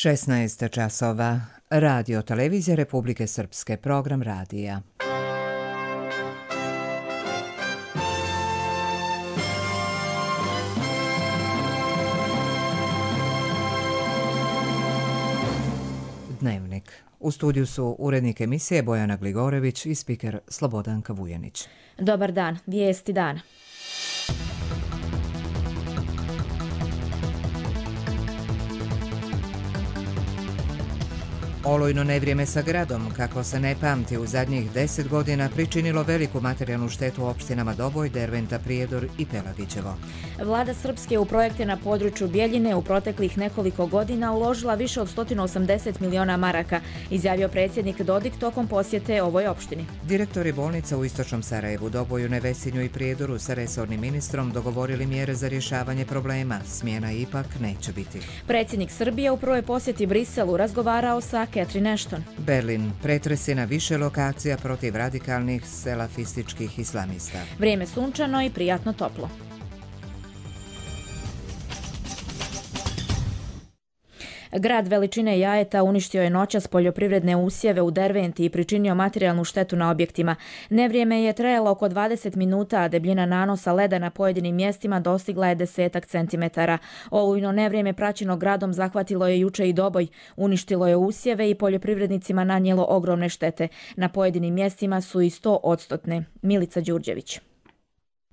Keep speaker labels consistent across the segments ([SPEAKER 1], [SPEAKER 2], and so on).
[SPEAKER 1] 16 časova. Radio televizija Republike Srpske, program radija. Dnevnik. U studiju su urednik emisije Bojana Gligorević i spiker Slobodanka Vujanić.
[SPEAKER 2] Dobar dan, vijesti dana.
[SPEAKER 1] Olujno nevrijeme sa gradom, kako se ne pamti, u zadnjih 10 godina pričinilo veliku materijalnu štetu opštinama Doboj, Derventa, Prijedor i Pelagićevo.
[SPEAKER 2] Vlada Srpske u projekte na području Bjeljine u proteklih nekoliko godina uložila više od 180 miliona maraka, izjavio predsjednik Dodik tokom posjete ovoj opštini.
[SPEAKER 1] Direktori bolnica u Istočnom Sarajevu, Doboju, Nevesinju i Prijedoru sa resornim ministrom dogovorili mjere za rješavanje problema. Smjena ipak neće biti.
[SPEAKER 2] Predsjednik Srbije u prvoj posjeti Briselu razgovarao sa Catherine Ashton.
[SPEAKER 1] Berlin. Pretresi na više lokacija protiv radikalnih selafističkih islamista.
[SPEAKER 2] Vrijeme sunčano i prijatno toplo. Grad veličine Jajeta uništio je noćas poljoprivredne usjeve u Derventi i pričinio materijalnu štetu na objektima. Nevrijeme je trajalo oko 20 minuta, a debljina nanosa leda na pojedinim mjestima dostigla je 10 centimetara. Olujno nevrijeme praćeno gradom zahvatilo je juče i Doboj, uništilo je usjeve i poljoprivrednicima nanijelo ogromne štete. Na pojedinim mjestima su i 100%. Milica Đurđević.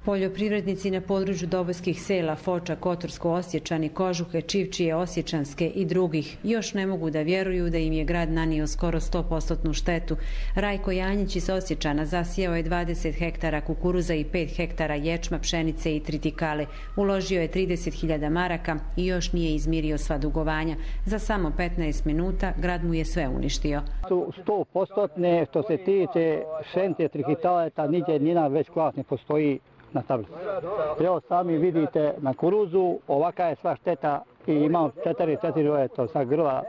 [SPEAKER 3] Poljoprivrednici na području dobojskih sela Foča, Kotorsko, Osječani, Kožuhe, Čivčije, Osječanske i drugih još ne mogu da vjeruju da im je grad nanio skoro 100% štetu. Rajko Janjić iz Osječana zasijao je 20 hektara kukuruza i 5 hektara ječma, pšenice i tritikale. Uložio je 30.000 maraka i još nije izmirio sva dugovanja. Za samo 15 minuta grad mu je sve uništio.
[SPEAKER 4] 100% što se tiče pšenice, tritikale, nigdje njena već kvas ne postoji na tablici. Evo sami vidite na kuruzu, ovaka je sva šteta i imam 4 sa grla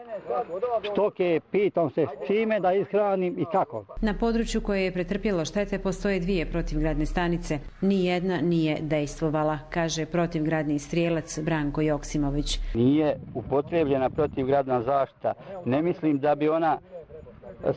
[SPEAKER 4] stoke, pitam se s čime da ishranim i kako.
[SPEAKER 3] Na području koje je pretrpjelo štete postoje 2 protivgradne stanice. Nijedna nije dejstvovala, kaže protivgradni strijelac Branko Joksimović.
[SPEAKER 5] Nije upotrijebljena protivgradna zaštita. Ne mislim da bi ona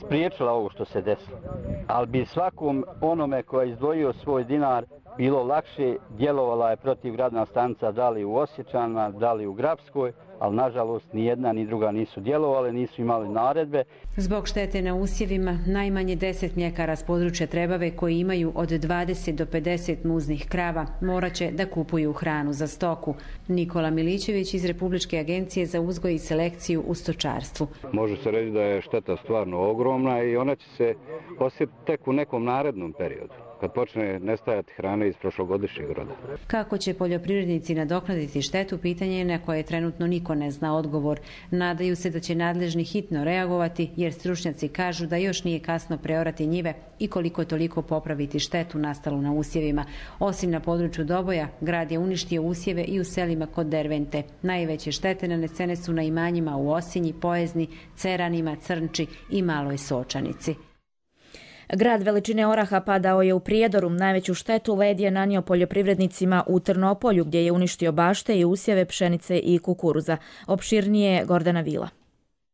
[SPEAKER 5] spriječila ovo što se desilo. Ali bi svakom onome koji je izdvojio svoj dinar bilo lakše, djelovala je protivgradna stanica da li u Osječanima, da li u Grapskoj, ali nažalost ni jedna ni druga nisu djelovale, nisu imali naredbe.
[SPEAKER 3] Zbog štete na usjevima, najmanje 10 mljekara s područja Trebave koji imaju od 20 do 50 muznih krava morat će da kupuju hranu za stoku. Nikola Milićević iz Republičke agencije za uzgoj i selekciju u stočarstvu.
[SPEAKER 6] Može se reći da je šteta stvarno ogromna i ona će se osjetiti tek u nekom narednom periodu, kad počne nestajati hrane iz prošlogodišnjeg roda.
[SPEAKER 3] Kako će poljoprivrednici nadoknaditi štetu, pitanje je na koje trenutno niko ne zna odgovor. Nadaju se da će nadležni hitno reagovati, jer stručnjaci kažu da još nije kasno preorati njive i koliko toliko popraviti štetu nastalu na usjevima. Osim na području Doboja, grad je uništio usjeve i u selima kod Dervente. Najveće štete nanesene su na imanjima u Osinji, Pojezni, Ceranima, Crnči i Maloj Sočanici.
[SPEAKER 2] Grad veličine oraha padao je u Prijedoru. Najveću štetu led je nanio poljoprivrednicima u Trnopolju, gdje je uništio bašte i usjeve pšenice i kukuruza. Opširnije Gordana Vila.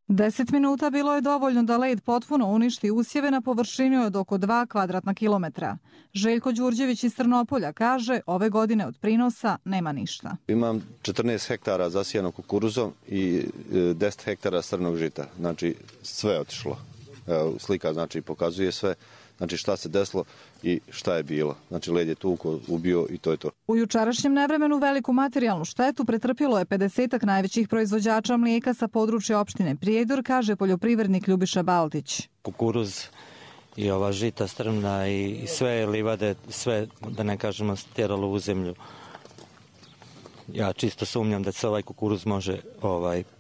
[SPEAKER 7] 10 minuta bilo je dovoljno da led potpuno uništi usjeve na površini od oko 2 kvadratna kilometra. Željko Đurđević iz Trnopolja kaže, ove godine od prinosa nema ništa.
[SPEAKER 8] Imam 14 hektara zasijano kukuruzom i 10 hektara crnog žita. Znači sve je otišlo. Slika znači pokazuje sve, znači šta se desilo i šta je bilo. Znači led je tuko, ubio i to je to.
[SPEAKER 7] U jučerašnjem nevremenu veliku materijalnu štetu pretrpjelo je 50 najvećih proizvođača mlijeka sa područja opštine Prijedor, kaže poljoprivrednik Ljubiša Baltić.
[SPEAKER 9] Kukuruz i ova žita strmna i sve livade, sve da ne kažemo stjeralo u zemlju. Ja čisto sumnjam da se ovaj kukuruz može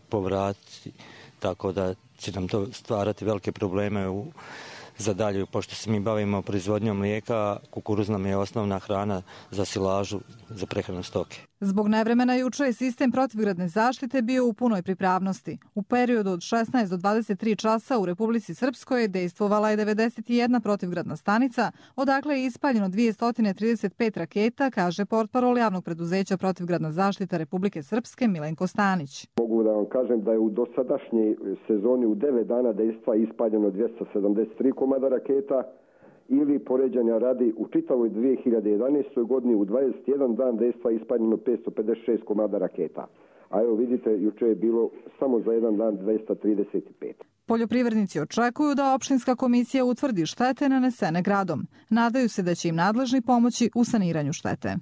[SPEAKER 9] povratiti, tako da će nam to stvarati velike probleme za dalje, pošto se mi bavimo proizvodnjom mlijeka, kukuruz nam je osnovna hrana za silažu, za prehranu stoke.
[SPEAKER 7] Zbog nevremena juče je sistem protivgradne zaštite bio u punoj pripravnosti. U periodu od 16 do 23 časa u Republici Srpskoj dejstvovala je 91 protivgradna stanica, odakle je ispaljeno 235 raketa, kaže portparol javnog preduzeća Protivgradna zaštita Republike Srpske Milenko Stanić.
[SPEAKER 10] Mogu da vam kažem da je u dosadašnjoj sezoni u 9 dana dejstva ispaljeno 273 komada raketa, ili poređanja radi u čitavoj 2011. godini u 21 dan dejstva ispaljeno 556 komada raketa. A evo vidite, juče je bilo samo za jedan dan 235.
[SPEAKER 7] Poljoprivrednici očekuju da opštinska komisija utvrdi štete nanesene gradom. Nadaju se da će im nadležni pomoći u saniranju štete.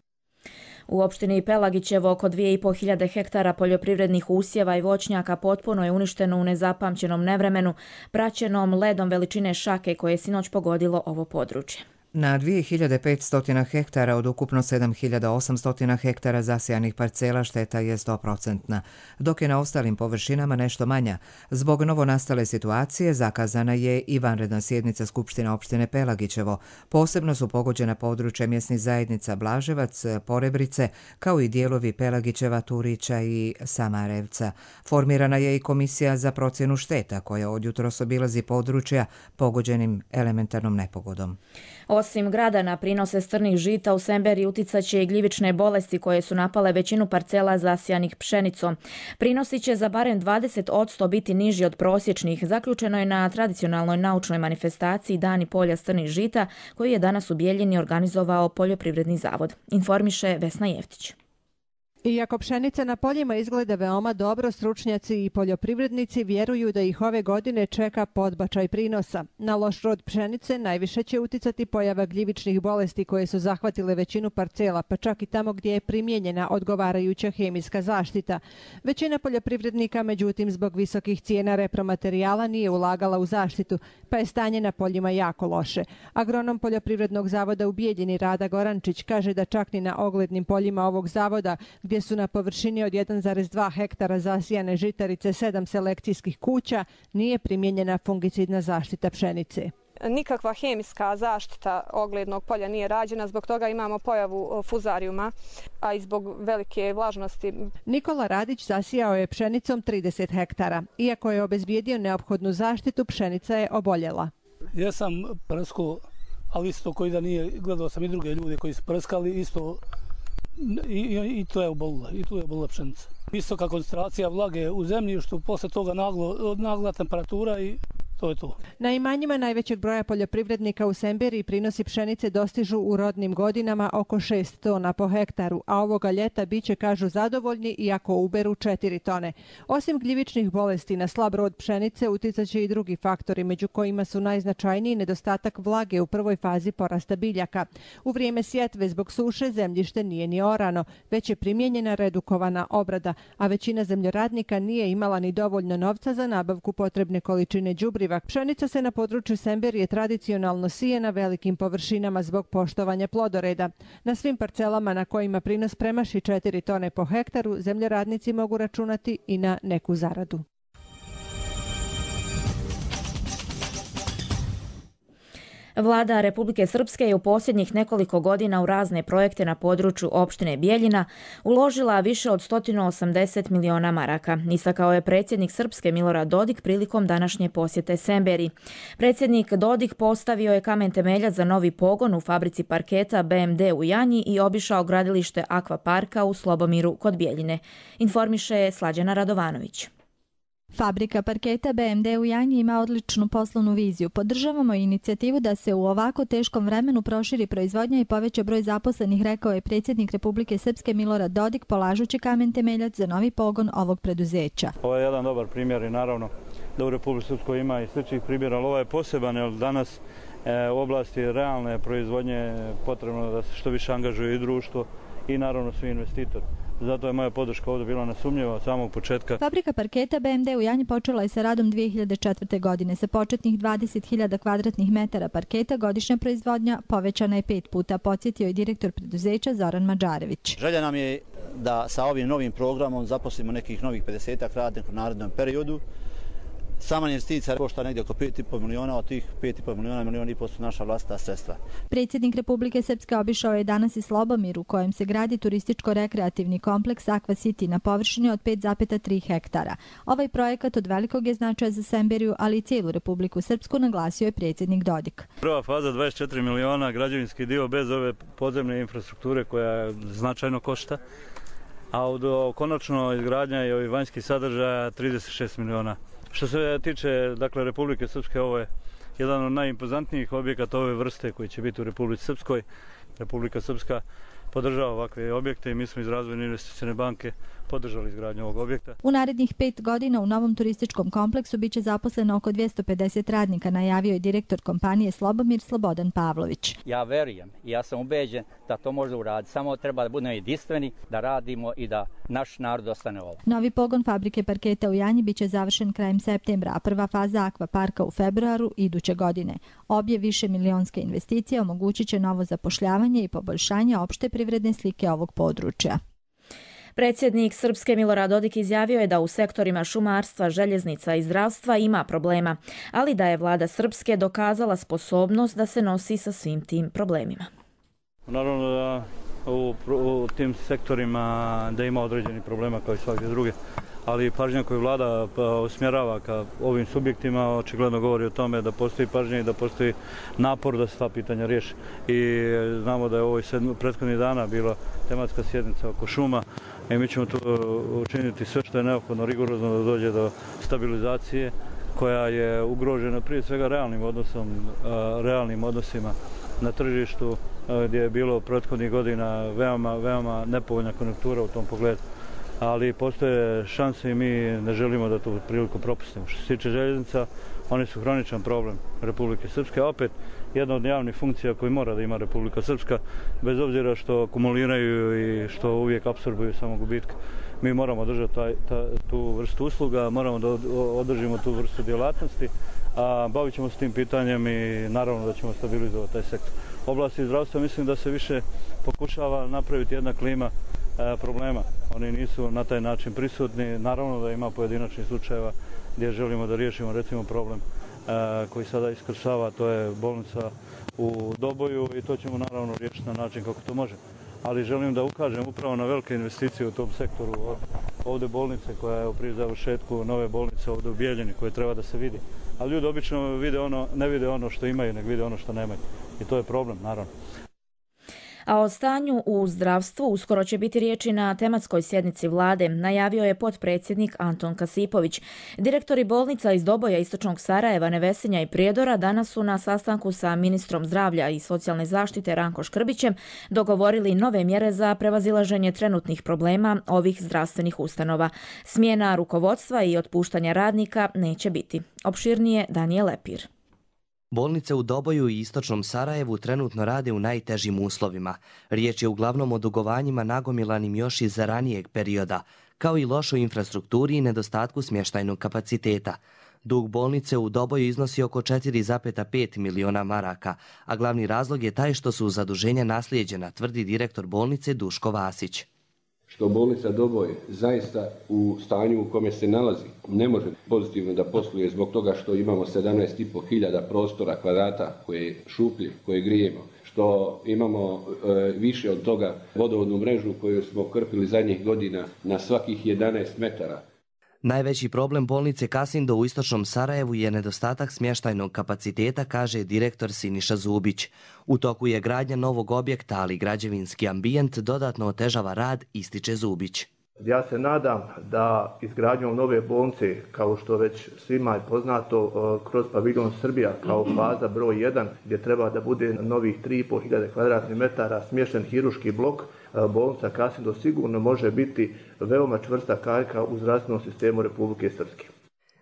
[SPEAKER 2] U opštini Pelagićevo oko 2500 hektara poljoprivrednih usjeva i voćnjaka potpuno je uništeno u nezapamćenom nevremenu, praćenom ledom veličine šake koje je sinoć pogodilo ovo područje.
[SPEAKER 1] Na 2500 hektara od ukupno 7800 hektara zasijanih parcela šteta je 100%, dok je na ostalim površinama nešto manja. Zbog novonastale situacije zakazana je i vanredna sjednica Skupštine opštine Pelagićevo. Posebno su pogođena područja mjesnih zajednica Blaževac, Porebrice, kao i dijelovi Pelagićeva, Turića i Samarevca. Formirana je i komisija za procjenu šteta koja od jutros obilazi područja pogođenim elementarnom nepogodom.
[SPEAKER 2] Osim grada na prinose strnih žita u Semberiji uticat će i gljivične bolesti koje su napale većinu parcela zasijanih pšenicom. Prinosi će za barem 20% biti niži od prosječnih, zaključeno je na tradicionalnoj naučnoj manifestaciji Dani polja strnih žita koji je danas u Bijeljini organizovao Poljoprivredni zavod. Informiše Vesna Jeftić.
[SPEAKER 11] Iako pšenica na poljima izgleda veoma dobro, stručnjaci i poljoprivrednici vjeruju da ih ove godine čeka podbačaj prinosa. Na loš rod pšenice najviše će uticati pojava gljivičnih bolesti koje su zahvatile većinu parcela, pa čak i tamo gdje je primijenjena odgovarajuća hemijska zaštita. Većina poljoprivrednika, međutim, zbog visokih cijena repromaterijala nije ulagala u zaštitu, pa je stanje na poljima jako loše. Agronom Poljoprivrednog zavoda u Bijeljini Rada Gorančić kaže da čak ni na oglednim poljima ovog zavoda, gdje su na površini od 1,2 hektara zasijane žitarice 7 selekcijskih kuća, nije primijenjena fungicidna zaštita pšenice.
[SPEAKER 12] Nikakva hemijska zaštita oglednog polja nije rađena, zbog toga imamo pojavu fuzarijuma, a i zbog velike vlažnosti.
[SPEAKER 11] Nikola Radić zasijao je pšenicom 30 hektara. Iako je obezbijedio neophodnu zaštitu, pšenica je oboljela.
[SPEAKER 13] Ja sam prskao, ali isto koji da nije, gledao sam i druge ljude koji su prskali, isto i to je obolila, i tu je obolila pšenica. Visoka koncentracija vlage u zemljištu, posle toga nagla temperatura i to je to.
[SPEAKER 11] Na imanjima najvećeg broja poljoprivrednika u Semberiji prinosi pšenice dostižu u rodnim godinama oko 6 tona po hektaru, a ovoga ljeta biće, kažu, zadovoljni iako uberu 4 tone. Osim gljivičnih bolesti na slab rod pšenice uticat će i drugi faktori, među kojima su najznačajniji nedostatak vlage u prvoj fazi porasta biljaka. U vrijeme sjetve zbog suše zemljište nije ni orano, već je primijenjena redukovana obrada, a većina zemljoradnika nije imala ni dovoljno novca za nabavku potrebne količine đubriva. Pšenica se na području Semberije tradicionalno sije na velikim površinama zbog poštovanja plodoreda. Na svim parcelama na kojima prinos premaši 4 tone po hektaru, zemljoradnici mogu računati i na neku zaradu.
[SPEAKER 2] Vlada Republike Srpske je u posljednjih nekoliko godina u razne projekte na području opštine Bijeljina uložila više od 180 miliona maraka, istakao je predsjednik Srpske Milorad Dodik prilikom današnje posjete Semberiji. Predsjednik Dodik postavio je kamen temeljac za novi pogon u fabrici parketa BMD u Janji i obišao gradilište Akvaparka u Slobomiru kod Bijeljine. Informiše Slađana Radovanović.
[SPEAKER 14] Fabrika parketa BMD u Janji ima odličnu poslovnu viziju. Podržavamo inicijativu da se u ovako teškom vremenu proširi proizvodnja i poveća broj zaposlenih, rekao je predsjednik Republike Srpske Milorad Dodik polažući kamen temeljac za novi pogon ovog preduzeća.
[SPEAKER 15] Ovo je jedan dobar primjer i naravno da u Republike Srpskoj ima i sličnih primjera, ali ovo je poseban jer danas u oblasti realne proizvodnje potrebno da se što više angažuje i društvo i naravno svi investitori. Zato je moja podrška ovdje bila nesumnjiva od samog početka.
[SPEAKER 14] Fabrika parketa BMD u Janji počela je sa radom 2004. godine. Sa početnih 20.000 kvadratnih metara parketa godišnja proizvodnja povećana je 5 puta, podsjetio je direktor preduzeća Zoran Mađarević.
[SPEAKER 16] Želja nam je da sa ovim novim programom zaposlimo nekih novih 50 radnika u narednom periodu. Sama investicija košta negdje oko 5,5 miliona, od tih 5,5 miliona, 1,5 miliona su naša vlastita sredstva.
[SPEAKER 14] Predsjednik Republike Srpske obišao je danas i Slobomir, u kojem se gradi turističko-rekreativni kompleks Aqua City na površini od 5,3 hektara. Ovaj projekat od velikog je značaja za Semberiju, ali i cijelu Republiku Srpsku, naglasio je predsjednik Dodik.
[SPEAKER 15] Prva faza 24 miliona, građevinski dio bez ove podzemne infrastrukture koja značajno košta, a konačno izgradnja i ovih vanjskih sadržaja 36 miliona. Što se tiče dakle, Republike Srpske, ovo je jedan od najimpozantnijih objekata ove vrste koji će biti u Republici Srpskoj. Republika Srpska podržava ovakve objekte i mi smo iz Razvojne investicijne banke podržali izgradnju ovog objekta.
[SPEAKER 14] U narednih 5 godina u novom turističkom kompleksu biće zaposleno oko 250 radnika, najavio je direktor kompanije Slobomir Slobodan Pavlović.
[SPEAKER 17] Ja verujem i ja sam ubeđen da to može uraditi. Samo treba da budemo jedinstveni, da radimo i da naš narod ostane ovo.
[SPEAKER 14] Novi pogon fabrike parketa u Janji biće završen krajem septembra, a prva faza akvaparka u februaru iduće godine. Obje višemilionske investicije omogućit će novo zapošljavanje i poboljšanje opšte privredne slike ovog područja.
[SPEAKER 2] Predsjednik Srpske Milorad Dodik izjavio je da u sektorima šumarstva, željeznica i zdravstva ima problema, ali da je vlada Srpske dokazala sposobnost da se nosi sa svim tim problemima.
[SPEAKER 15] Naravno da u tim sektorima da ima određeni problema kao i svakde druge, ali pažnja koju vlada usmjerava ka ovim subjektima očigledno govori o tome da postoji pažnja i da postoji napor da se ta pitanja riješi. I znamo da je ovo prethodnih dana bila tematska sjednica oko šuma i mi ćemo tu učiniti sve što je neophodno rigorozno da dođe do stabilizacije koja je ugrožena prije svega realnim odnosima na tržištu gdje je bilo prethodnih godina veoma nepovoljna konjunktura u tom pogledu. Ali postoje šanse i mi ne želimo da tu priliku propustimo. Što se tiče željeznica, oni su hroničan problem Republike Srpske, a opet jedna od javnih funkcija koju mora da ima Republika Srpska, bez obzira što kumuliraju i što uvijek apsorbuju samo gubitka. Mi moramo držati tu vrstu usluga, moramo da održimo tu vrstu djelatnosti, a bavit ćemo s tim pitanjem i naravno da ćemo stabilizovati taj sektor. U oblasti zdravstva mislim da se više pokušava napraviti jedna klima problema. Oni nisu na taj način prisutni. Naravno da ima pojedinačnih slučajeva gdje želimo da riješimo recimo problem koji sada iskrsava, to je bolnica u Doboju i to ćemo naravno riješiti na način kako to može. Ali želim da ukažem upravo na velike investicije u tom sektoru. Ovdje bolnice koja je pri završetku nove bolnice ovdje u Bijeljini koje treba da se vidi. Ali ljudi obično ne vide ono što imaju, nego vide ono što nemaju. I to je problem, naravno.
[SPEAKER 2] A o stanju u zdravstvu uskoro će biti riječi na tematskoj sjednici vlade, najavio je potpredsjednik Anton Kasipović. Direktori bolnica iz Doboja, Istočnog Sarajeva, Nevesinja i Prijedora danas su na sastanku sa ministrom zdravlja i socijalne zaštite Ranko Škrbićem dogovorili nove mjere za prevazilaženje trenutnih problema ovih zdravstvenih ustanova. Smjena rukovodstva i otpuštanja radnika neće biti. Opširnije Danijel Lepir.
[SPEAKER 18] Bolnice u Doboju i Istočnom Sarajevu trenutno rade u najtežim uslovima. Riječ je uglavnom o dugovanjima nagomilanim još iz ranijeg perioda, kao i lošoj infrastrukturi i nedostatku smještajnog kapaciteta. Dug bolnice u Doboju iznosi oko 4,5 miliona maraka, a glavni razlog je taj što su zaduženja naslijeđena, tvrdi direktor bolnice Duško Vasić.
[SPEAKER 19] Što bolnica Doboj zaista u stanju u kome se nalazi ne može pozitivno da posluje zbog toga što imamo 17.500 prostora kvadrata koje šuplje, koje grijemo, što imamo više od toga vodovodnu mrežu koju smo krpili zadnjih godina na svakih 11 metara.
[SPEAKER 18] Najveći problem bolnice Kasindo u Istočnom Sarajevu je nedostatak smještajnog kapaciteta, kaže direktor Siniša Zubić. U toku je gradnja novog objekta, ali građevinski ambijent dodatno otežava rad, ističe Zubić.
[SPEAKER 20] Ja se nadam da izgradnjom nove bolnice, kao što već svima je poznato, kroz paviljon Srbija kao faza broj 1, gdje treba da bude novih 3.500 kvadratnih metara smješten hiruški blok, bolnica Kasindo sigurno može biti veoma čvrsta karika u zdravstvenom sistemu Republike Srpske.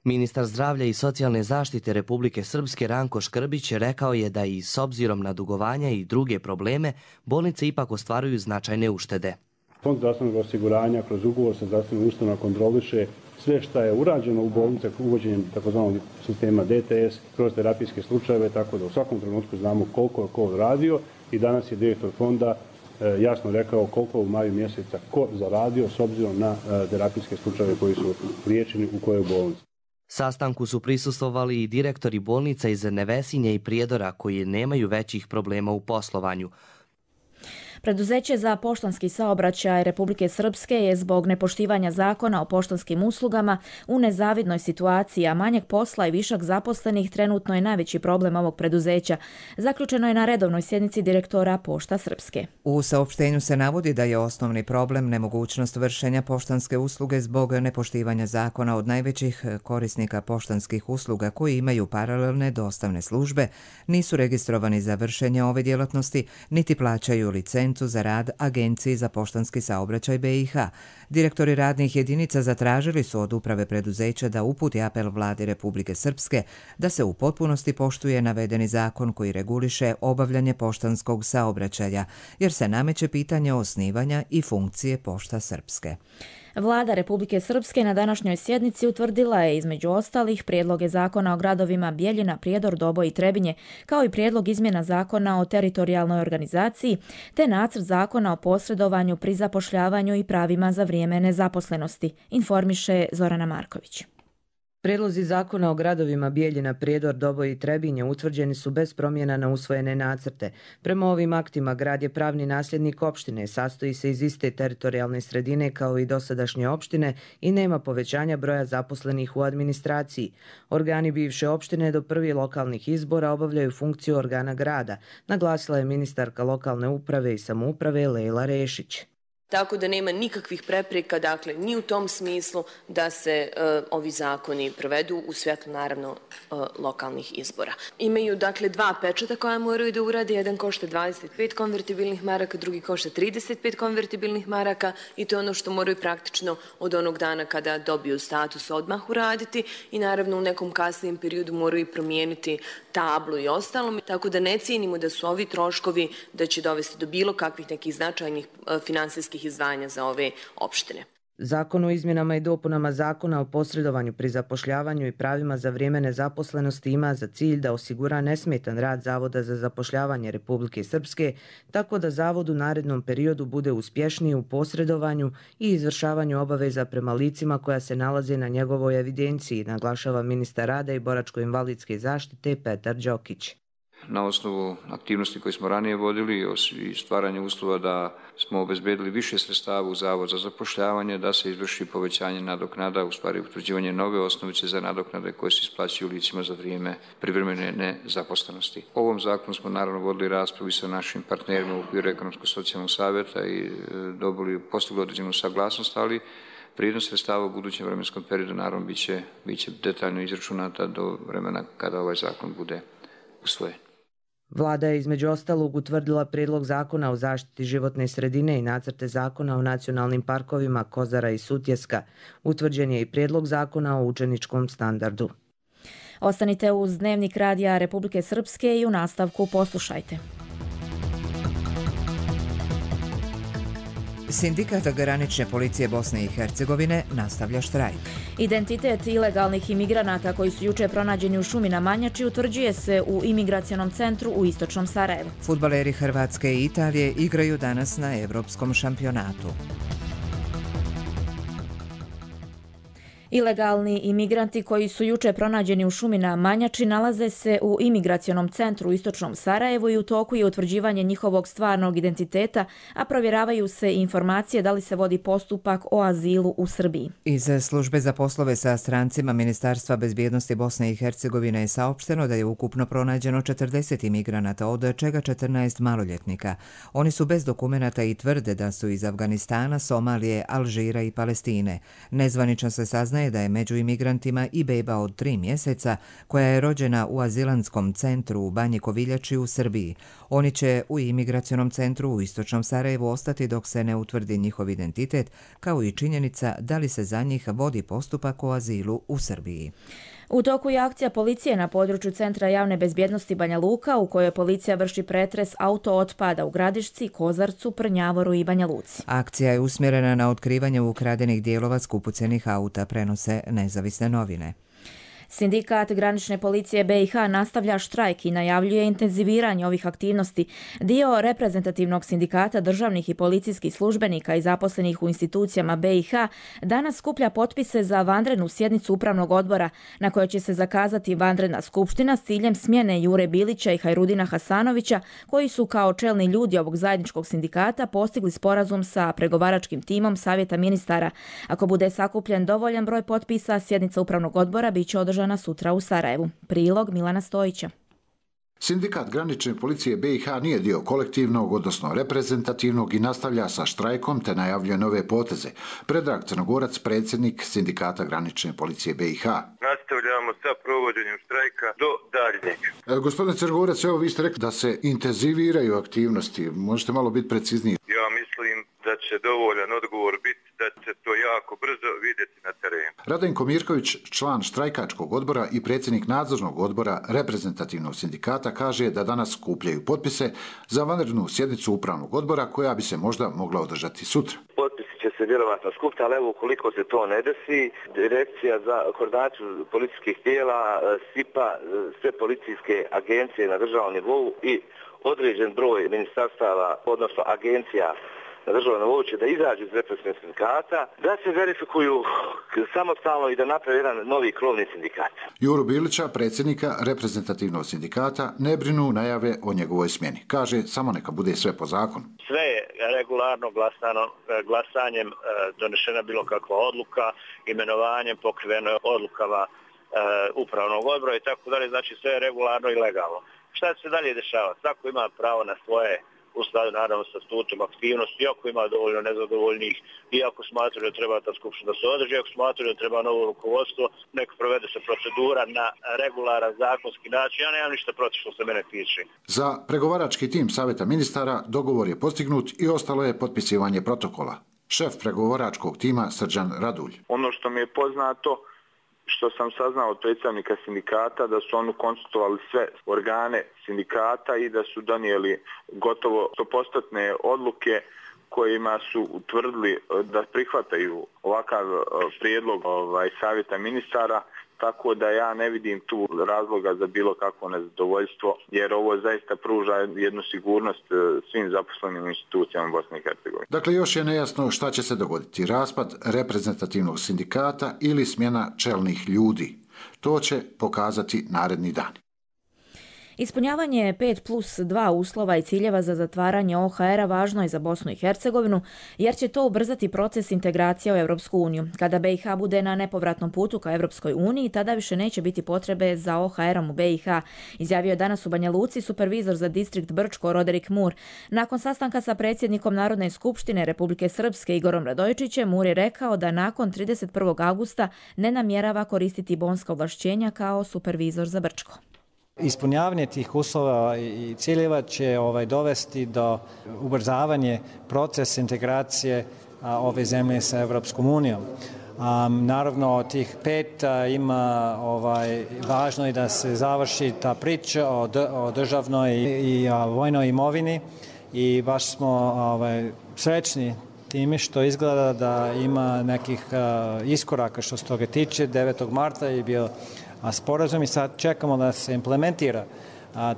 [SPEAKER 18] Ministar zdravlja i socijalne zaštite Republike Srpske Ranko Škrbić rekao je da i s obzirom na dugovanja i druge probleme, bolnice ipak ostvaruju značajne uštede.
[SPEAKER 21] Fond zdravstvenog osiguranja kroz ugovor sa zdravstvenom ustanovom kontroliše sve što je urađeno u bolnicama uvođenjem tzv. sistema DTS kroz terapijske slučajeve, tako da u svakom trenutku znamo koliko je ko radio i danas je direktor fonda jasno rekao koliko u maju mjeseca ko zaradio s obzirom na terapijske slučajeve koji su liječeni u kojoj bolnici.
[SPEAKER 18] Sastanku su prisustvovali i direktori bolnica iz Nevesinje i Prijedora koji nemaju većih problema u poslovanju.
[SPEAKER 2] Preduzeće za poštanski saobraćaj Republike Srpske je zbog nepoštivanja zakona o poštanskim uslugama u nezavidnoj situaciji, a manjak posla i višak zaposlenih trenutno je najveći problem ovog preduzeća. Zaključeno je na redovnoj sjednici direktora Pošta Srpske.
[SPEAKER 1] U saopštenju se navodi da je osnovni problem nemogućnost vršenja poštanske usluge zbog nepoštivanja zakona od najvećih korisnika poštanskih usluga koji imaju paralelne dostavne službe, nisu registrovani za vršenje ove djelatnosti, niti plaćaju licencu za rad Agenciji za poštanski saobraćaj BiH. Direktori radnih jedinica zatražili su od uprave preduzeća da uputi apel vladi Republike Srpske da se u potpunosti poštuje navedeni zakon koji reguliše obavljanje poštanskog saobraćaja, jer se nameće pitanje osnivanja i funkcije Pošta Srpske.
[SPEAKER 2] Vlada Republike Srpske na današnjoj sjednici utvrdila je između ostalih prijedloge zakona o gradovima Bjeljina, Prijedor, Doboj i Trebinje, kao i prijedlog izmjena zakona o teritorijalnoj organizaciji, te nacrt zakona o posredovanju pri zapošljavanju i pravima za vrijeme nezaposlenosti, informiše Zorana Marković.
[SPEAKER 4] Prijedlozi zakona o gradovima Bijeljina, Prijedor, Doboj i Trebinje utvrđeni su bez promjena na usvojene nacrte. Prema ovim aktima grad je pravni nasljednik opštine, sastoji se iz iste teritorijalne sredine kao i dosadašnje opštine i nema povećanja broja zaposlenih u administraciji. Organi bivše opštine do prvih lokalnih izbora obavljaju funkciju organa grada, naglasila je ministarka lokalne uprave i samouprave Lejla Rešić.
[SPEAKER 22] Tako da nema nikakvih prepreka, dakle, ni u tom smislu da se ovi zakoni provedu u svjetlu, naravno, lokalnih izbora. Imaju, dakle, dva pečata koja moraju da urade. Jedan košta 25 konvertibilnih maraka, drugi košta 35 konvertibilnih maraka i to je ono što moraju praktično od onog dana kada dobiju status odmah uraditi i naravno u nekom kasnijem periodu moraju i promijeniti tablu i ostalo. Tako da ne cijenimo da su ovi troškovi da će dovesti do bilo kakvih nekih značajnih finansijskih izdvajanja za ove opštine.
[SPEAKER 4] Zakon o izmjenama i dopunama zakona o posredovanju pri zapošljavanju i pravima za vrijeme nezaposlenosti ima za cilj da osigura nesmetan rad Zavoda za zapošljavanje Republike Srpske, tako da Zavod u narednom periodu bude uspješniji u posredovanju i izvršavanju obaveza prema licima koja se nalaze na njegovoj evidenciji, naglašava ministar rada i boračko-invalidske zaštite Petar Đokić.
[SPEAKER 23] Na osnovu aktivnosti koje smo ranije vodili i stvaranje uslova da smo obezbedili više sredstava u Zavod za zapošljavanje, da se izvrši povećanje nadoknada, u stvari utvrđivanje nove osnovice za nadoknade koje se isplaćuju licima za vrijeme privremene nezaposlenosti. O ovom zakonu smo naravno vodili raspravu i sa našim partnerima u okviru Ekonomsko-socijalnog savjeta i postigli određenu saglasnost, ali vrijednost sredstava u budućem vremenskom periodu naravno biće detaljno izračunata do vremena kada ovaj zakon bude usvojen.
[SPEAKER 4] Vlada je između ostalog utvrdila prijedlog zakona o zaštiti životne sredine i nacrte zakona o nacionalnim parkovima Kozara i Sutjeska. Utvrđen je i prijedlog zakona o učeničkom standardu.
[SPEAKER 2] Ostanite uz Dnevnik radija Republike Srpske i u nastavku poslušajte.
[SPEAKER 1] Sindikat granične policije Bosne i Hercegovine nastavlja štrajk.
[SPEAKER 2] Identitet ilegalnih imigranata koji su juče pronađeni u šumi na Manjači utvrđuje se u imigracionom centru u istočnom Sarajevu.
[SPEAKER 1] Fudbaleri Hrvatske i Italije igraju danas na Evropskom šampionatu.
[SPEAKER 2] Ilegalni imigranti koji su juče pronađeni u šumi na Manjači nalaze se u imigracionom centru u istočnom Sarajevu i u toku je utvrđivanje njihovog stvarnog identiteta, a provjeravaju se informacije da li se vodi postupak o azilu u Srbiji.
[SPEAKER 1] Iz službe za poslove sa strancima Ministarstva bezbjednosti Bosne i Hercegovine je saopšteno da je ukupno pronađeno 40 imigranata, od čega 14 maloljetnika. Oni su bez dokumenata i tvrde da su iz Afganistana, Somalije, Alžira i Palestine. Nezvanično se saznaje da je među imigrantima i beba od 3 mjeseca koja je rođena u azilantskom centru u Banji Koviljači u Srbiji. Oni će u imigracionom centru u istočnom Sarajevu ostati dok se ne utvrdi njihov identitet, kao i činjenica da li se za njih vodi postupak o azilu u Srbiji.
[SPEAKER 2] U toku je akcija policije na području Centra javne bezbjednosti Banja Luka u kojoj policija vrši pretres auto otpada u Gradišci, Kozarcu, Prnjavoru i Banja Luci.
[SPEAKER 1] Akcija je usmjerena na otkrivanje ukradenih dijelova skupocenih auta, prenose nezavisne novine.
[SPEAKER 2] Sindikat granične policije BiH nastavlja štrajk i najavljuje intenziviranje ovih aktivnosti. Dio reprezentativnog sindikata državnih i policijskih službenika i zaposlenih u institucijama BiH danas skuplja potpise za vanrednu sjednicu upravnog odbora na kojoj će se zakazati vanredna skupština s ciljem smjene Jure Bilića i Hajrudina Hasanovića, koji su kao čelni ljudi ovog zajedničkog sindikata postigli sporazum sa pregovaračkim timom Savjeta ministara. Ako bude sakupljen dovoljan broj potpisa, sjednica upravnog odbora bit će održana sutra u Sarajevu. Prilog Milana Stojića.
[SPEAKER 3] Sindikat granične policije BiH nije dio kolektivnog, odnosno reprezentativnog i nastavlja sa štrajkom te najavljuje nove poteze. Predrag Crnogorac, predsjednik Sindikata granične policije BiH.
[SPEAKER 5] Nastavljamo sa provođenjem štrajka do daljnjeg.
[SPEAKER 3] Gospodine Crnogorac, evo vi ste rekli da se intenziviraju aktivnosti. Možete malo biti precizniji?
[SPEAKER 5] Ja mislim da će dovoljan odgovor biti da će to jako brzo vidjeti na terenu.
[SPEAKER 3] Radenko Mirković, član štrajkačkog odbora i predsjednik nadzornog odbora reprezentativnog sindikata, kaže da danas skupljaju potpise za vanrednu sjednicu upravnog odbora koja bi se možda mogla održati sutra.
[SPEAKER 5] Potpisi će se vjerovatno skupiti, ali evo ukoliko se to ne desi, Direkcija za koordinaciju policijskih tijela, SIPA, sve policijske agencije na državnom nivou i određen broj ministarstava, odnosno agencija na državnom nivou će da izađu iz represivnog sindikata, da se verifikuju samostalno i da naprave jedan novi krovni sindikat.
[SPEAKER 3] Juru Bilića, predsjednika reprezentativnog sindikata, ne brinu najave o njegovoj smjeni. Kaže, samo neka bude sve po zakonu.
[SPEAKER 5] Sve je regularno glasanjem donešena bilo kakva odluka, imenovanjem pokriveno odlukama upravnog odbora i tako dalje, znači sve je regularno i legalno. Šta će se dalje dešavati? Svako ima pravo na svoje, u skladu naravno sa statutom aktivnosti, ako ima dovoljno nezadovoljnih i ako smatraju da treba ta skupština da se održi, ako smatraju da treba novo rukovodstvo, neka provede se procedura na regularan zakonski način. Ja nemam ništa protiv što se mene tiče.
[SPEAKER 3] Za pregovarački tim Savjeta ministara dogovor je postignut i ostalo je potpisivanje protokola. Šef pregovaračkog tima Srđan Radulj.
[SPEAKER 5] Ono što mi je poznato, što sam saznao od predstavnika sindikata, da su oni konsultovali sve organe sindikata i da su donijeli gotovo 100% odluke kojima su utvrdili da prihvataju ovakav prijedlog Savjeta ministara, tako da ja ne vidim tu razloga za bilo kakvo nezadovoljstvo, jer ovo zaista pruža jednu sigurnost svim zaposlenim institucijama Bosne i Hercegovine.
[SPEAKER 3] Dakle, još je nejasno šta će se dogoditi, raspad reprezentativnog sindikata ili smjena čelnih ljudi. To će pokazati naredni dani.
[SPEAKER 2] Ispunjavanje 5+2 uslova i ciljeva za zatvaranje OHR-a važno je za Bosnu i Hercegovinu, jer će to ubrzati proces integracije u Europsku uniju. Kada BiH bude na nepovratnom putu ka Europskoj uniji, tada više neće biti potrebe za OHR-om u BiH, izjavio je danas u Banja Luci supervizor za distrikt Brčko Roderik Mur. Nakon sastanka sa predsjednikom Narodne skupštine Republike Srpske Igorom Radojičićem, Mur je rekao da nakon 31. augusta ne namjerava koristiti bonska ovlašćenja kao supervizor za Brčko.
[SPEAKER 6] Ispunjavanje tih uslova i ciljeva će dovesti do ubrzavanja procesa integracije ove zemlje sa Evropskom unijom. Naravno, od tih 5 ima važno je da se završi ta priča o državnoj i vojnoj imovini i baš smo srećni time što izgleda da ima nekih iskoraka što se toga tiče. 9. marta je bio sporazum i sad čekamo da se implementira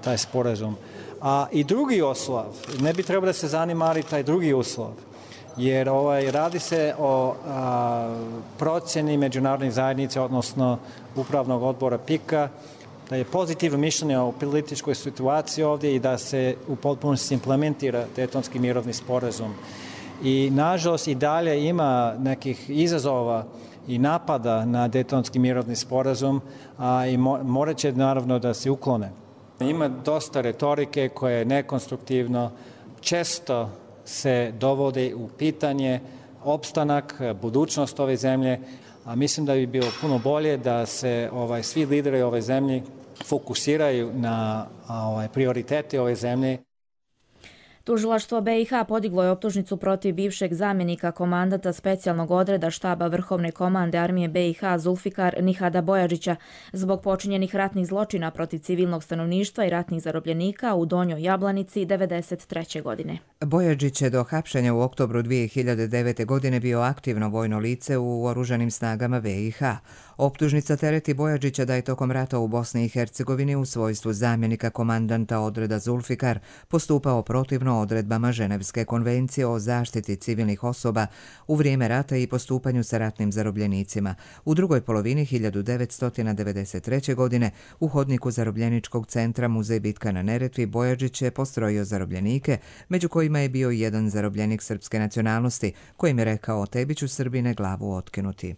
[SPEAKER 6] taj sporazum. I drugi uslov, ne bi trebalo da se zanimali taj drugi uslov, jer radi se o procjeni međunarodnih zajednica, odnosno upravnog odbora PIK-a, da je pozitivno mišljenje o političkoj situaciji ovdje i da se u potpunosti implementira Daytonski mirovni sporazum. I nažalost i dalje ima nekih izazova i napada na Daytonski mirovni sporazum, i morat će naravno da se uklone. Ima dosta retorike koja je nekonstruktivno, često se dovode u pitanje opstanak, budućnost ove zemlje, a mislim da bi bilo puno bolje da se svi lideri ove zemlje fokusiraju na prioritete ove zemlje.
[SPEAKER 2] Tužilaštvo BiH podiglo je optužnicu protiv bivšeg zamjenika komandanta specijalnog odreda štaba Vrhovne komande armije BiH Zulfikar Nihada Bojađića zbog počinjenih ratnih zločina protiv civilnog stanovništva i ratnih zarobljenika u Donjoj Jablanici 1993. godine.
[SPEAKER 1] Bojađić je do hapšenja u oktobru 2009. godine bio aktivno vojno lice u oružanim snagama BiH. Optužnica tereti Bojađića da je tokom rata u Bosni i Hercegovini u svojstvu zamjenika komandanta odreda Zulfikar postupao protivno odredbama Ženevske konvencije o zaštiti civilnih osoba u vrijeme rata i postupanju sa ratnim zarobljenicima. U drugoj polovini 1993. godine u hodniku zarobljeničkog centra Muzej Bitka na Neretvi Bojađić je postrojio zarobljenike, među kojima je bio jedan zarobljenik srpske nacionalnosti, kojim je rekao: tebi ću Srbine glavu otkinuti.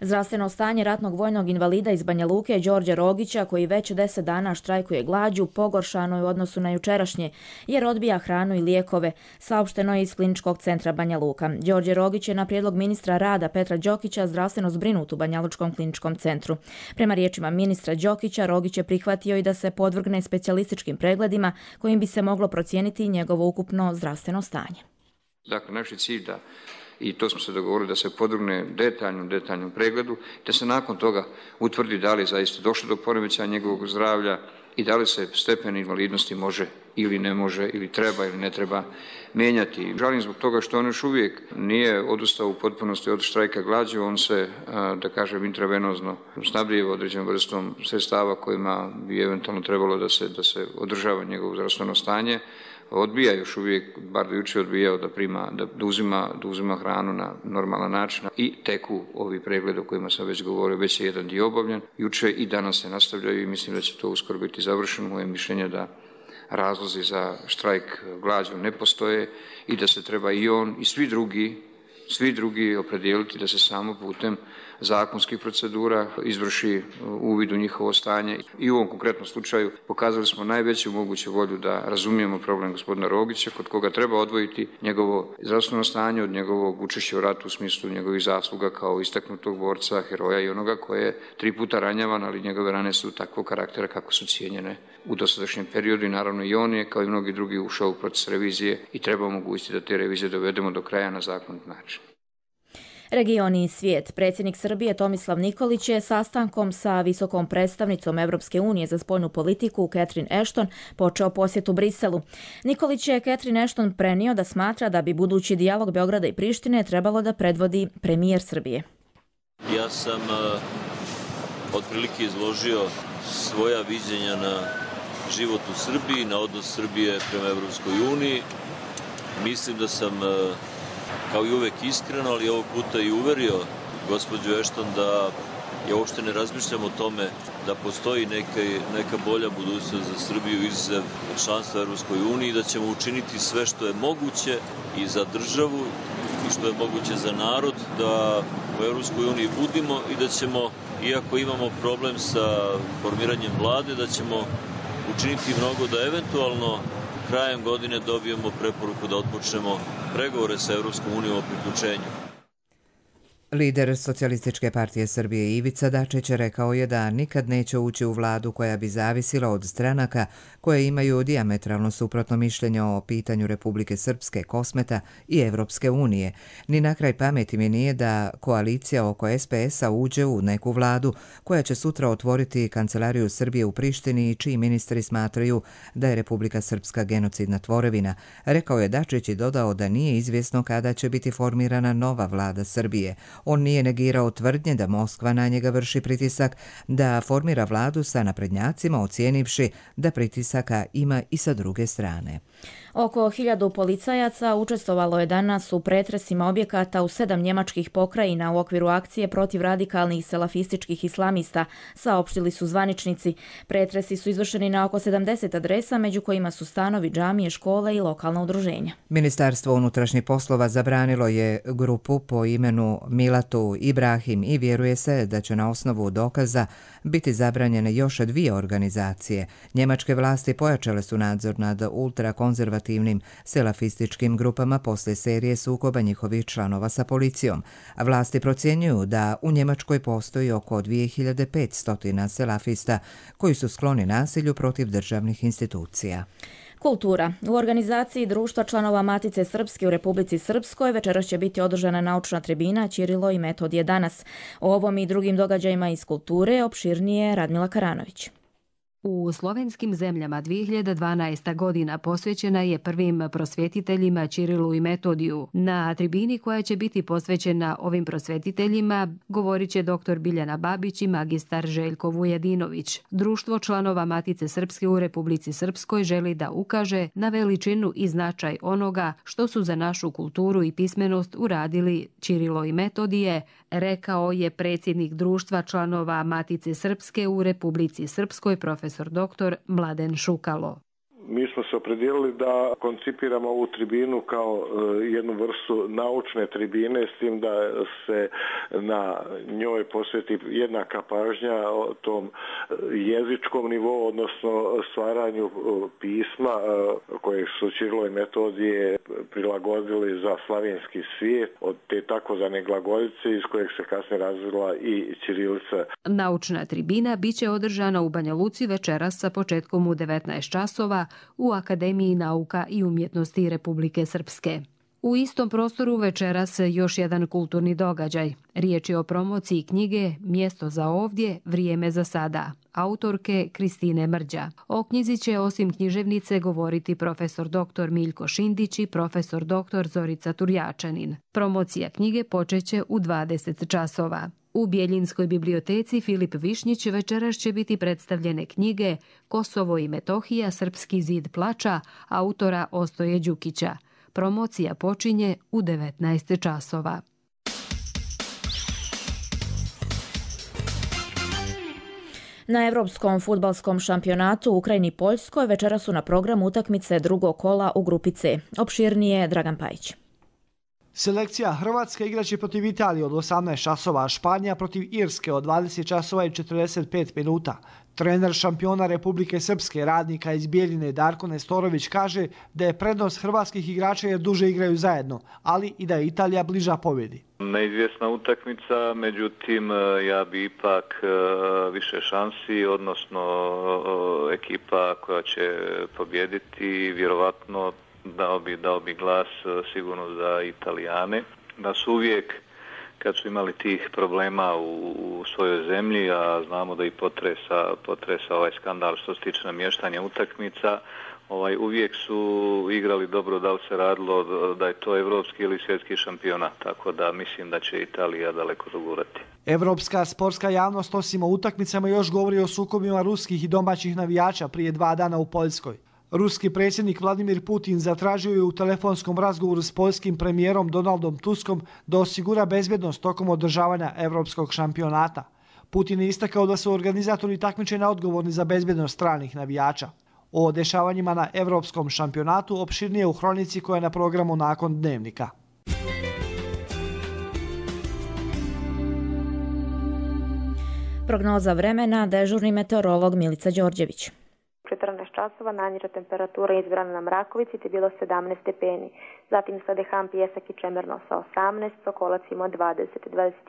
[SPEAKER 2] Zdravstveno stanje ratnog vojnog invalida iz Banja Luke Đorđe Rogića, koji već 10 dana štrajkuje glađu, pogoršano je u odnosu na jučerašnje, jer odbija hranu i lijekove, saopšteno je iz Kliničkog centra Banja Luka. Đorđe Rogić je na prijedlog ministra rada Petra Đokića zdravstveno zbrinut u Banja Lučkom kliničkom centru. Prema riječima ministra Đokića, Rogić je prihvatio i da se podvrgne specijalističkim pregledima kojim bi se moglo procijeniti njegovo ukupno zdravstveno stanje.
[SPEAKER 23] Dakle, naš je cilj da, i to smo se dogovorili, da se podvrgne detaljnom pregledu, da se nakon toga utvrdi da li je zaista došlo do poremećaja njegovog zdravlja i da li se stepen invalidnosti može ili ne može, ili treba ili ne treba mijenjati. Žalim zbog toga što on još uvijek nije odustao u potpunosti od štrajka glađu, on se, da kažem, intravenozno snabdijeva određenom vrstom sredstava kojima bi eventualno trebalo da se održava njegovo zdravstveno stanje. Odbija još uvijek, bar do jučer odbijao da uzima hranu na normalan način i teku ovi pregledi o kojima sam već govorio, već je jedan dio obavljen. Jučer i danas se nastavljaju i mislim da će to uskoro biti završeno. Moje mišljenje da razlozi za štrajk glađu ne postoje i da se treba i on i svi drugi opredijeliti da se samo putem zakonskih procedura izvrši uvid u njihovo stanje. I u ovom konkretnom slučaju pokazali smo najveću moguću volju da razumijemo problem gospodina Rogića, kod koga treba odvojiti njegovo zdravstveno stanje od njegovog učešća u ratu u smislu njegovih zasluga kao istaknutog borca, heroja i onoga koje je 3 puta ranjavan, ali njegove rane su takvog karaktera kako su cijenjene u dosadašnjem periodu i naravno i on je, kao i mnogi drugi, ušao u proces revizije i treba omogućiti da te revizije dovedemo do kraja na zakonit način.
[SPEAKER 2] Regioni i svijet. Predsjednik Srbije Tomislav Nikolić je sastankom sa visokom predstavnicom Evropske unije za spoljnu politiku Catherine Ashton počeo posjetu Briselu. Nikolić je Catherine Ashton prenio da smatra da bi budući dijalog Beograda i Prištine trebalo da predvodi premijer Srbije.
[SPEAKER 8] Ja sam otprilike izložio svoja viđenja na život u Srbiji, na odnos Srbije prema Evropskoj uniji. Mislim da sam kao i uvek iskreno, ali ovog puta i uverio gospođu Ashton da ja uopšte ne razmišljam o tome da postoji neka bolja budućnost za Srbiju izuzev članstva u Evropskoj uniji i da ćemo učiniti sve što je moguće i za državu i što je moguće za narod da u Evropskoj uniji budimo i da ćemo, iako imamo problem sa formiranjem vlade, da ćemo učiniti mnogo da eventualno krajem godine dobijemo preporuku da otpočnemo pregovore sa Evropskom unijom o priključenju.
[SPEAKER 1] Lider Socijalističke partije Srbije Ivica Dačić rekao je da nikad neće ući u vladu koja bi zavisila od stranaka koje imaju dijametralno suprotno mišljenje o pitanju Republike Srpske, Kosmeta i Evropske unije. Ni na kraj pameti mi nije da koalicija oko SPS-a uđe u neku vladu koja će sutra otvoriti kancelariju Srbije u Prištini i čiji ministri smatraju da je Republika Srpska genocidna tvorevina. Rekao je Dačić i dodao da nije izvjesno kada će biti formirana nova vlada Srbije. On nije negirao tvrdnje da Moskva na njega vrši pritisak da formira vladu sa naprednjacima, ocijenivši da pritisaka ima i sa druge strane.
[SPEAKER 2] Oko 1000 policajaca učestvovalo je danas u pretresima objekata u 7 njemačkih pokrajina u okviru akcije protiv radikalnih salafističkih islamista, saopštili su zvaničnici. Pretresi su izvršeni na oko 70 adresa, među kojima su stanovi, džamije, škole i lokalna udruženja.
[SPEAKER 1] Ministarstvo unutrašnjih poslova zabranilo je grupu po imenu Milatu Ibrahim i vjeruje se da će na osnovu dokaza biti zabranjene još 2 organizacije. Njemačke vlasti pojačale su nadzor nad ultrakonzervativnim selafističkim grupama posle serije sukoba njihovih članova sa policijom. Vlasti procjenjuju da u Njemačkoj postoji oko 2500 selafista koji su skloni nasilju protiv državnih institucija.
[SPEAKER 2] Kultura. U organizaciji Društva članova Matice Srpske u Republici Srpskoj večeras će biti održana naučna tribina Ćirilo i Metodije danas. O ovom i drugim događajima iz kulture opširnije Radmila Karanović.
[SPEAKER 7] U slovenskim zemljama 2012. godina posvećena je prvim prosvjetiteljima Ćirilu i Metodiju. Na tribini koja će biti posvećena ovim prosvjetiteljima govorit će dr. Biljana Babić i magistar Željko Vujedinović. Društvo članova Matice Srpske u Republici Srpskoj želi da ukaže na veličinu i značaj onoga što su za našu kulturu i pismenost uradili Ćirilo i Metodije, rekao je predsjednik Društva članova Matice Srpske u Republici Srpskoj profesor dr. Mladen Šukalo.
[SPEAKER 9] Mi smo se opredijelili da koncipiramo ovu tribinu kao jednu vrstu naučne tribine, s tim da se na njoj posveti jednaka pažnja o tom jezičkom nivou, odnosno stvaranju pisma koje su Ćirilo i Metodije prilagodili za slavenski svijet, od te takozvane glagoljice iz kojeg se kasnije razvila i ćirilica.
[SPEAKER 7] Naučna tribina biće održana u Banja Luci večeras sa početkom u 19 časova u Akademiji nauka i umjetnosti Republike Srpske. U istom prostoru večeras još jedan kulturni događaj. Riječ je o promociji knjige Mjesto za ovdje, vrijeme za sada, autorke Kristine Mrđa. O knjizi će osim književnice govoriti profesor dr. Miljko Šindić i profesor dr. Zorica Turjačanin. Promocija knjige počeće u 20 časova. U Bjeljinskoj biblioteci Filip Višnjić večeras će biti predstavljene knjige Kosovo i Metohija, Srpski zid plača, autora Ostoje Đukića. Promocija počinje u 19 časova.
[SPEAKER 2] Na Evropskom fudbalskom šampionatu u Ukrajini i Poljskoj večeras su na programu utakmice drugog kola u grupi C. Opširnije Dragan Pajić.
[SPEAKER 10] Selekcija Hrvatske igraće protiv Italije od 18 časova, a Španija protiv Irske od 20 časova i 45 minuta. Trener šampiona Republike Srpske, radnika iz Bijeljine Darko Nestorović, kaže da je prednost hrvatskih igrača jer duže igraju zajedno, ali i da je Italija bliža pobjedi.
[SPEAKER 24] Neizvjesna utakmica, međutim ja bi ipak više šansi, odnosno ekipa koja će pobjediti, vjerovatno dao bi glas sigurno za Italijane, da su uvijek kad su imali tih problema u svojoj zemlji, a znamo da i potresa ovaj skandal što se tiče namještanja utakmica, uvijek su igrali dobro, da li se radilo da je to evropski ili svjetski šampionat, tako da mislim da će Italija daleko dogurati.
[SPEAKER 10] Evropska sportska javnost osim o utakmicama još govori o sukobima ruskih i domaćih navijača prije 2 dana u Poljskoj. Ruski predsjednik Vladimir Putin zatražio je u telefonskom razgovoru s poljskim premijerom Donaldom Tuskom da osigura bezbjednost tokom održavanja Evropskog šampionata. Putin je istakao da su organizatori takmičenja odgovorni za bezbjednost stranih navijača. O dešavanjima na Evropskom šampionatu opširnije u hronici koja je na programu nakon Dnevnika.
[SPEAKER 2] Prognoza vremena, dežurni meteorolog Milica Đorđević.
[SPEAKER 25] 14 časova najniža temperatura izbrana na Mrakovici te bilo 17 stepeni. Zatim Sadeham, Pijesak i Čemerno sa 18, Sokolac ima 20,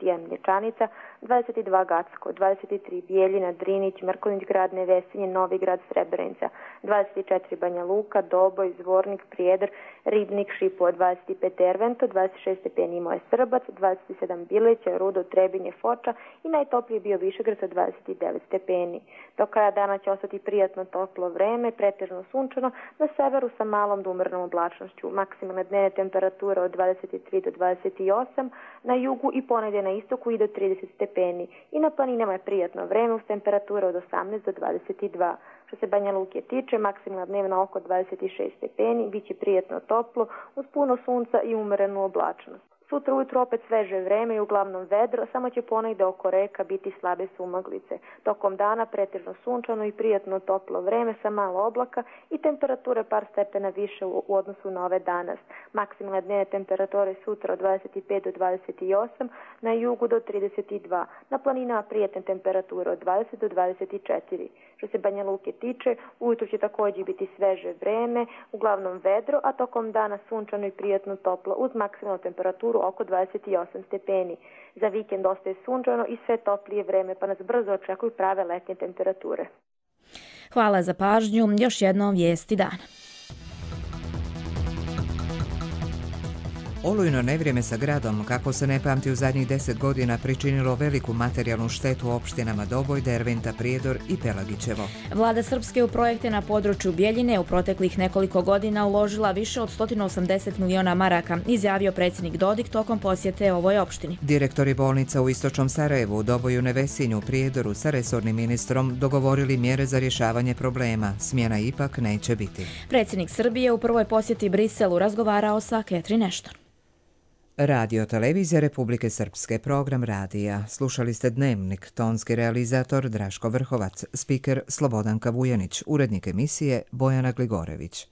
[SPEAKER 25] 21 Mlječanica, 22 Gacko, 23 Bijeljina, Drinić, Mrkonjić grad, Nevesinje, Novi grad, Srebrenica, 24 Banja Luka, Doboj, Zvornik, Prijedor, Ribnik, Šipovo, 25 Ervento, 26 stepeni imao je Srbac, 27 Bileća, Rudo, Trebinje, Foča i najtoplije bio Višegrad sa 29 stepeni. Do kraja dana će ostati prijatno toplo vreme, pretežno sunčano, na severu sa malom do umjernom oblačnošću. Maksimalne dnevne temperature od 23 do 28, na jugu i ponegdje na istoku i do 30 stepeni. I na planinama je prijatno vreme uz temperature od 18 do 22. Što se Banja Luke tiče, maksimalna dnevna oko 26 stepeni, bit će prijatno toplo uz puno sunca i umjerenu oblačnost. Sutra ujutro opet sveže vreme i uglavnom vedro, samo će ponegdje oko reka biti slabe sumaglice. Tokom dana pretežno sunčano i prijatno toplo vreme sa malo oblaka i temperature par stepena više u odnosu na ove danas. Maksimalne dnevne temperature sutra od 25 do 28, na jugu do 32, na planinama prijatne temperature od 20 do 24. Što se Banja Luke tiče, ujutro će također biti sveže vreme, uglavnom vedro, a tokom dana sunčano i prijatno toplo uz maksimalnu temperaturu oko 28 stepeni. Za vikend ostaje sunčano i sve toplije vreme, pa nas brzo očekuju prave letnje temperature.
[SPEAKER 2] Hvala za pažnju. Još jednom vijesti dana.
[SPEAKER 1] Olujno nevrijeme sa gradom, kako se ne pamti u zadnjih 10 godina, pričinilo veliku materijalnu štetu opštinama Doboj, Derventa, Prijedor i Pelagićevo.
[SPEAKER 2] Vlada Srpske u projekte na području Bjeljine u proteklih nekoliko godina uložila više od 180 miliona maraka, izjavio predsjednik Dodik tokom posjete ovoj opštini.
[SPEAKER 1] Direktori bolnica u istočnom Sarajevu, Doboju, Nevesinju, Prijedoru sa resornim ministrom dogovorili mjere za rješavanje problema. Smjena ipak neće biti.
[SPEAKER 2] Predsjednik Srbije u prvoj posjeti Briselu razgovarao sa Catherine Ashton.
[SPEAKER 1] Radio Televizija Republike Srpske, program radija. Slušali ste Dnevnik, tonski realizator Draško Vrhovac, spiker Slobodanka Vujanić, urednik emisije Bojana Gligorević.